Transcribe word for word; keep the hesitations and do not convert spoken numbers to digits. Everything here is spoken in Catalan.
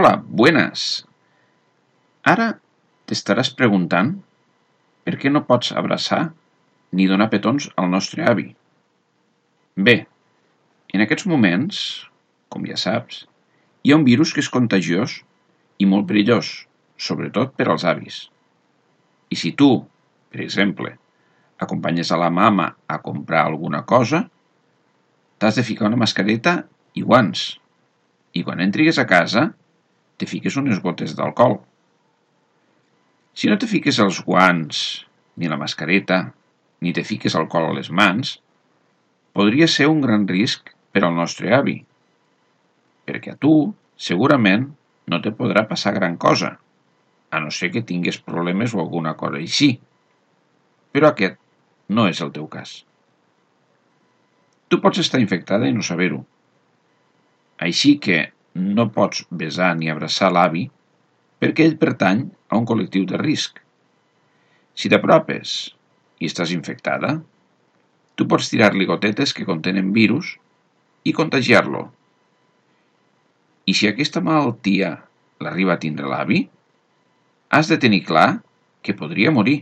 Hola, buenas. Ara t'estaràs preguntant per què no pots abraçar ni donar petons al nostre avi. Bé, en aquests moments, com ja saps, hi ha un virus que és contagiós i molt perillós, sobretot per als avis. I si tu, per exemple, acompanyes a la mama a comprar alguna cosa, t'has de ficar una mascareta i guants. I quan entris a casa, te fiques unes gotes d'alcohol. Si no te fiques els guants, ni la mascareta, ni te fiques alcohol a les mans, podria ser un gran risc per al nostre avi, perquè a tu, segurament, no te podrà passar gran cosa, a no ser que tingues problemes o alguna cosa així. Però aquest no és el teu cas. Tu pots estar infectada i no saber-ho. Així que no pots besar ni abraçar l'avi perquè ell pertany a un col·lectiu de risc. Si t'apropes i estàs infectada, tu pots tirar-li gotetes que contenen virus i contagiar-lo. I si aquesta malaltia l'arriba a tindre l'avi, has de tenir clar que podria morir.